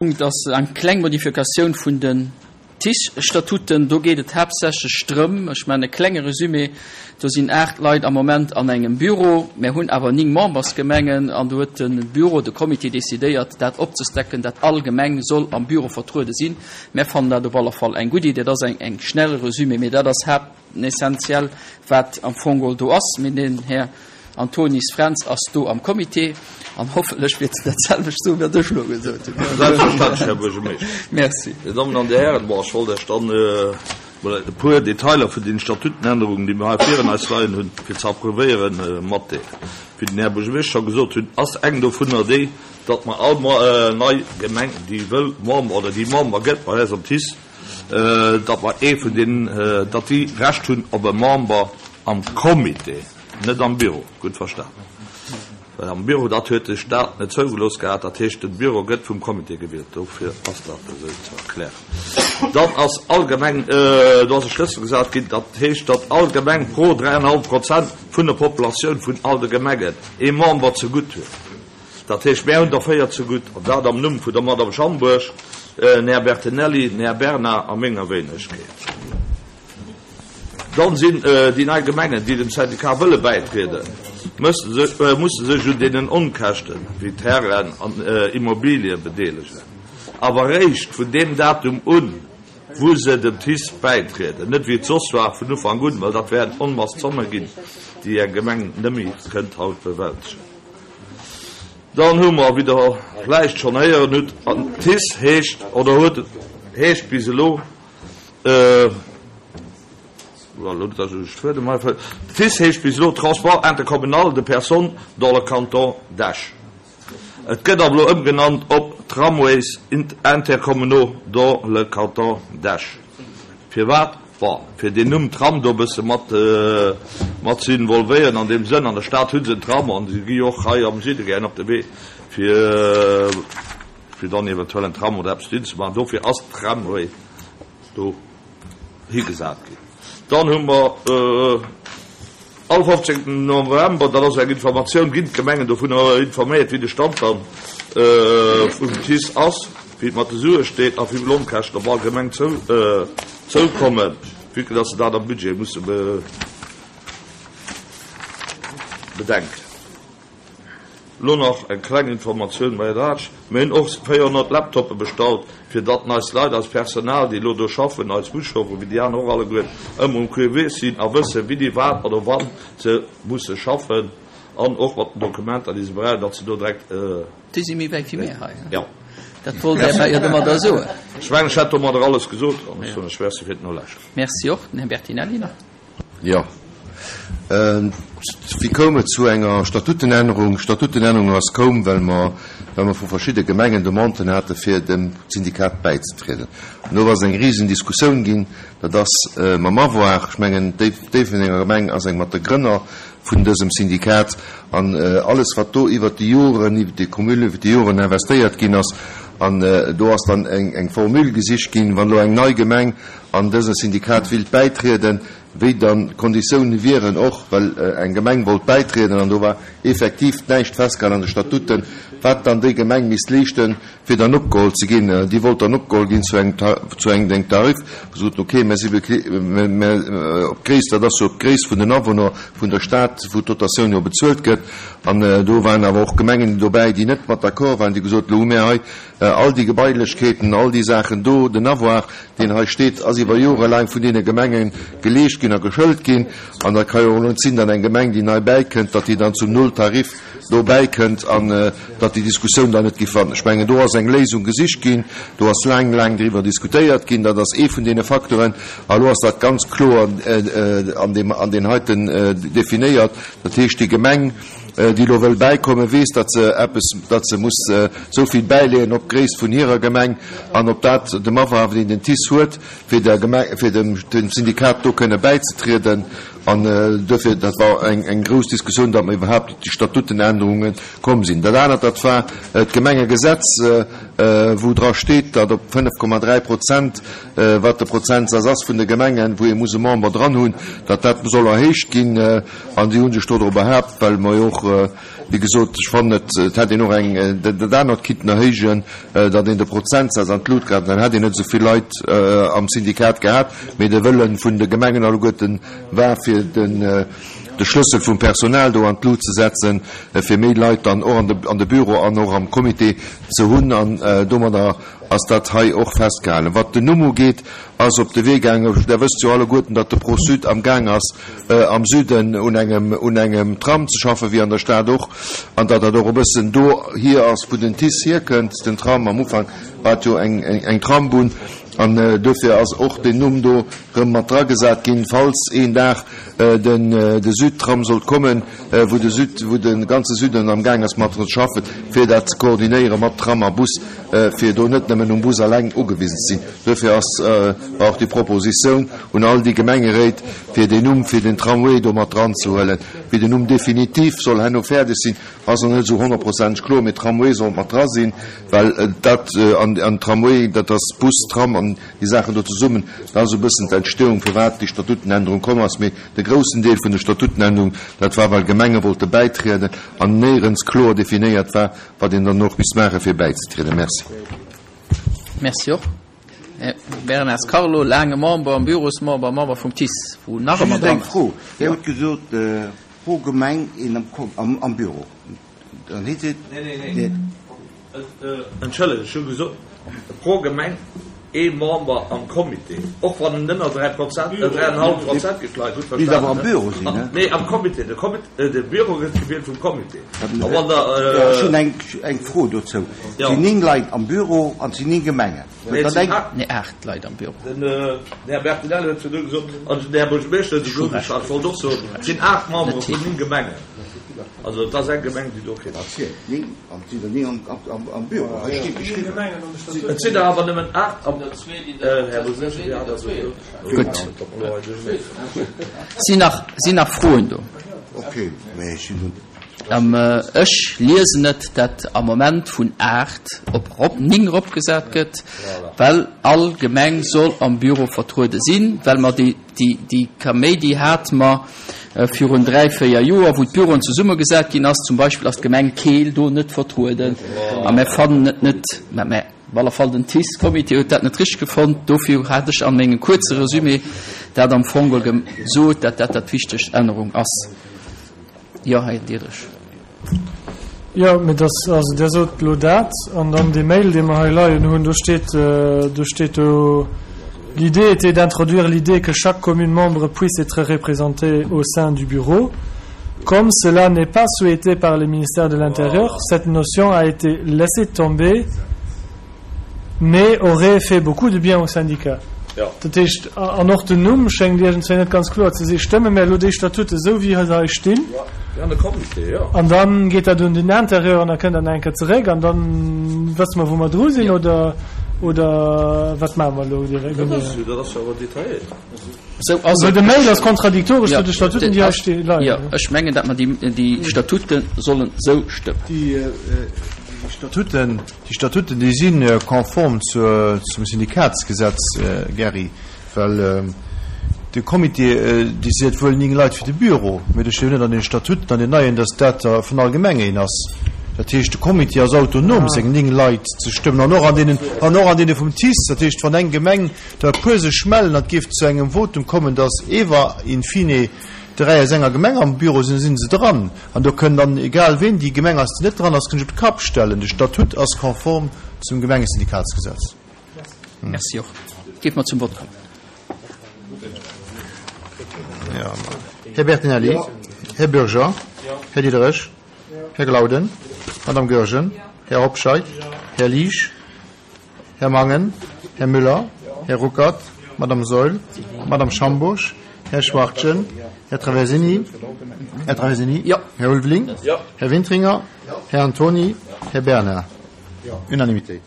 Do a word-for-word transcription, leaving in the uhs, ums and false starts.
Punkt ass eng kleng Modifikatioun vun den TICE-Statuten. Do geet et haaptsächlech drëm, ech maachen e klenge Resumé, do sinn aacht Leit am Moment an engem Büro, mär hunn awer néng Membersgemengen an do huet de Büro, de Comité decidéiert, dat opzestecken, dat all Gemeng soll am Büro vertruede sinn. Mär fannen dat op alle Fall eng gutt Idee. Dat ass eng schnell Resumé, mee dat ass haaptessentiell, wat am Fong geholl do ass. Mee den Här Antonis Fränz ass do am Comité an hoffentlech wäert en dat selwecht soen, wat ech elo gesot hunn. Selbstverständlech, Här Buergermeeschter. Merci. Dir Dammen an Dir Hären, bon, ech wollt Iech dann emol e puer Detailer vun den Statutenännerungen, déi mir hei virun eis leien hunn, fir ze approuvéieren, matdeelen. Wéi den Här Buergermeeschter scho gesot hunn, ass eng dovunner déi, datt mer all nei Gemeng, déi wëll Member oder déi Member gëtt bei eis am TICE, datt mer ee vun deenen, datt déi Recht hunn op e Member am Comité. Net am Büro, gutt verstanen. Well am Büro, dat huet de Staat net zougelooss gehat. Dat heescht, de Büro gëtt vum Comité gewielt. Dofir ass dat esou ze erklären. Dann ass allgemeng, do ass e Schlëssel gesat ginn, dat heescht, datt all Gemeng pro dräienhallef Prozent vun der Populatioun vun all de Gemengen ee Member zegutt huet. Dat heescht, mär hunn der véier zegutt, an dat am Numm vun der Madame Schambourg, den Här Bertinelli, den Här Bernard a menger Wéinegkeet. Dann sinn déi nei Gemengen, déi dem Syndicat wëlle bäitrieden, musse sech un deenen Onkäschten, wéi Terrainen an Immobilie bedeelegen, awer eréischt vun deem Datum un, wou se dem TICE bäitrieden, net wéi et soss war vun Ufank un, well dat wären Onmass Zomme ginn, déi eng Gemeng nëmme kënnt haut bewältegen. Dann hu mer, wéi Der vläicht schonn héieren hutt, an TICE heescht oder huet heescht bis elo, TICE heescht bis elo Transport intercommunal de personnes dans le canton d'Esch. Et gëtt awer elo ëmgenannt op Tramways intercommunaux dans le canton d'Esch. Firwat? Bon, fir deen Numm Tram do e bësse mat mat ze involvéieren an deem Sënn. An der Stad hu se en Tram an se gi jo och hei am Süde gären op de Wee fir fir dann eventuell en Tram oder eppes dohin ze maachen. Dofir ass Tramway do higesat ginn. Dann hu mer all fofzéngten November, dat ass eng Informatioun, ginn d'Gemengen dovunner informéiert, wéi de Stand dann vum TICE ass, wéi et mat de Sue steet a wéi vill Onkäschten op all Gemeng zoukommen, vue que dass se dat am Budget musse bedenken. Lo nach eng kleng Informatioun bei Ratsch, Mir hunn och véierhonnert Laptoppe bestallt, fir datt eis Leit, eist Personal, déi elo do schaffen, eis Buschaufferen, wéi déi aner och alleguer, ëmmer um Quai sinn a wëssen, wéini, wat oder wann se musse schaffen an och mat den Dokumenter, déi se brauchen, datt se do direkt. Déi si méi wäit wéi mir hei. Jo. Dat wollt Der jo domadder soen. Ech mengen, ech hätt domadder alles gesot an ech soen lech Merci fir d'Nolauschteren. Merci och. Den Här Bertinelli nach. Jo. Wéi koum et zu enger Statutenännerung? D'Statutenännerung ass koum, well mer, well mer vu verschidde Gemengen Demanden hate fir dem Syndikat bäizetrieden. An do ass eng risen Diskussioun ginn. Dat ass mam Avoir, ech mengen, d'Déifferdenger Gemeng ass eng mat de Grënner vun dësem Syndikat. An alles, wat do iwwert déi Joren, iwwert déi Cumul iwwert déi Joren investéiert ginn ass, an do ass dann eng, eng Formule gesicht ginn, wann elo eng nei Gemeng an dëse Syndikat willt bäitrieden, wéi dann d'Konditiounen wieren, och well eng Gemeng wollt bäitrieden an do war effektiv näischt festgehalen an de Statuten, wat dann déi Gemeng misst leeschten, fir dann opgeholl ze ginn. Déi wollt dann opgeholl ginn zu engem, zu engem Tarif, wou se soten, okay, mä si mä op d'Gréisst, dat ass jo op d'Gréisst vun den Awunner vun der Stad, wou d'Dotatioun jo bezuelt gëtt. An do waren awer och Gemengen dobäi, déi net mat d'accord waren, déi gesot hunn, elo hu mir hei all déi Gebailechkeeten, all déi Saachen do, den Avoir, deen hei steet, ass iwwer Jore laang vun deene Gemenge geleescht ginn a geschëlt ginn. An dat ka jo och elo net sinn, datt eng Gemeng, déi nei bäikënnt, datt déi dann zum Nulltarif do bäikënnt an datt déi Diskussioun dann net géif fannen. Ech mengen, do ass eng Léisung gesicht ginn, do ass laang, laang driwwer diskutéiert ginn. Dat ass ee vun deene Facteuren. A elo ass dat ganz kloer an deem, an deen heiten definéiert. Dat heescht, déi Gemeng, déi elo wëll bäikommen, weess, datt se eppes, datt se muss esou vill bäileeën op d'Gréisst vun hirer Gemeng an op dat dem Avoir, deen den TICE huet, fir der Gemeng, fir dem, dem Syndikat do kënne bäizetrieden. An duerfir, dat war eng, eng grouss Diskussioun, datt mer iwwerhaapt op déi Statutenännerunge komm sinn. Dat anert, dat war d'Gemengegesetz. wou dra steet, datt op fënnef Komma dräi Prozent, wat de Prozentsaz ass vun de Gemengen, wou ee muss e Member dran hunn, datt dat soll erhéicht ginn. An si hu sech dodrop behaapt, well mer jo och, wéi gesot, ech fannen et, et hätt een och eng, dat anert kinnten erhéijen, datt een de Prozentsaz an d'Lut grat, dann hätt een net esou vill Leit am Syndikat gehat, mee de Wëlle vun de Gemengen alleguerten war, fir den, de Schlëssel vum Personal do an d'Lut ze setzen, fir méi Leit dann och an de, an de Büro an och am Comité ze hunn. An domadder ass dat hei och festgehalen. Wat den Numm ugeet, ass op de Wee gaangen, Der wësst jo alleguerten, datt de Pro-Sud am Gaang ass, am Süden un engem, un engem Tram ze schaffen, wéi an der Stad och, an datt dat och e bëssen dohier ass, wou den TICE hierkënnt, den Tram. Am Ufank war et jo eng, eng, eng Trambunn. An dofir ass och deen Numm do rëm mat dragesat ginn, falls een Dag den de Südtram sollt kommen, wou de Süd, wou de ganze Süden am Gaang ass mat dran ze schaffen, fir dat ze koordinéiere mat Tram a Bus, fir do net nëmmen um Bus alleng ugewisen ze sinn. Dofir ass war och déi Propositioun un all déi Gemengeréit, fir deen Numm fir den Tramway do mat dranzehuelen. Wéi den Numm definitiv soll herno fäerdeg sinn, ass nach net esou honnertprozenteg kloer, mee Tramway soll mat dra sinn, well dat an an Tramway, dat ass Bus, Tram an déi Saachen do zesummen, dat ass e bëssen d'Entstehung, firwat déi Statutenännerung komm ass. Mee de groussen Deel vun der Statutenännerung, dat war, well Gemenge wollte bäitrieden an néierens kloer definéiert war, wat een dann och misst maachen, fir bäizetrieden. Merci. Merci och. Här Bernard Carlo, laange Member am Bürosmember, Member vum TICE, wou nach ëmmer Just eng dran ass. Fro. Dir hutt gesot, pro Gemeng een am, am Büro. Dann heet et. Nee, nee, nee. Entschëllegt, ech hu gesot, pro Gemeng ee Member am Comité, och wann en ënner dräi Prozent, dräi an e hallef Prozent geet, Leit, gutt Misst awer am verstanen, Büro sinn, ne? Nee, am Comité. De Comité, de Büro gëtt gewielt vum Comité. A wann der. Ech hunn eng, eng Fro dozou. Et sinn néng Leit am Büro an et sinn néng Gemengen. Nee, et sinn aacht. Nee, aacht Leit am Büro. Den Här Bertinelli huet virdu gesot, an den Här Buergermeeschter huet et gesot, ech wollt och soen, et sinn aacht Membere vun néng Gemengen. Also et ass eng Gemeng, déi do kritt. Néng, an et sinn der néng am Büro. Hei steet geschriwwen. Et sinn der awer nëmmen aacht am, Här Buergermeeschter, Dir hat also gesot. Gutt. Sinn nach, sinn nach Froen do? Okay, mä ech sinn. Ech liesen et, dat am Moment vun aacht op rop ning eropgesat gëtt, well all Gemeng soll am Büro vertruede sinn, well mer déi, déi, déi Kaméidi hate mer virun dräi, véier Joer, wou d'Büroen zesummegesat ginn ass. Zum Beispill ass d'Gemeng Keel do net vertrueden a mir fannen et net, mä, mä op alle Fall den TICE-Comité huet dat net richteg gefonnt. Dofir hat ech an mengem kuerze Resumé dat am Fong gesot, dat dat dat wichtegst Ännerung ass. Jo, Här Diderich. Jo, mee dass, also Der sot elo dat, an dann dee Mail, dee mer hei leien hunn, do steet, do steet do, L'idée était d'introduire l'idée que chaque commune membre puisse être représentée au sein du bureau. Comme cela n'est pas souhaité par le ministère de l'Intérieur, cette notion a été laissée tomber, mais aurait fait beaucoup de bien au syndicat. Dat heescht, an och den Numm schéngt iergendzwéi net ganz kloer ze sinn. Stëmme mir elo déi Statute esou, wéi se hei stinn? An da geet dat un den Intérieur an da kënnt dat nach eng Kéier zeréck an da wësse mer, wou mer dru sinn, oder, oder wat maache mer elo direkt? Dat ass jo awer detailléiert. Esou ass Well et. de Mail ass kontradiktoresch zu de Statuten, déi hei sti leien. Jo, ech mengen, datt mer déi Statute sollen esou stëmmen. Déi Statuten, déi Statuten, déi si konform zur, zum Syndikatsgesetz, Gerry, well de Comité décidéiert wuel néng Leit fir de Büro, mee do steet jo net an den Statuten, an den neien, datt dat der vun all Gemeng een ass. Dat heescht, de Comité ass autonom, seng néng Leit ze stëmmen, an och an deenen, an och an deene vum TICE. Dat heescht, wann eng Gemeng der e puer sech mellen an et géif zu engem Votum kommen, datt ewer in fine dräi aus enger Gemeng am Büro sinn, da si se dran. An do kënn dann, egal ween déi Gemeng ass, déi net dran ass, kënn sech op de Kapp stellen. De Statut ass konform zum Gemengesyndikatsgesetz. Merci och. Géife mer zum Vott kommen. Här Bertinelli, Här Bürger, Här Diderich, Här Glauden, Madame Goergen, Här Hobscheit, Här Liesch, Här Mangen, Här Müller, Här Ruckert, Madame Saeul, Madame Schambourg, Här Schwachtgen, Här Traversini, Här Traversini, Här Ulveling, Här Wintringer, Här Antoni, Här Bernard. Unanimité.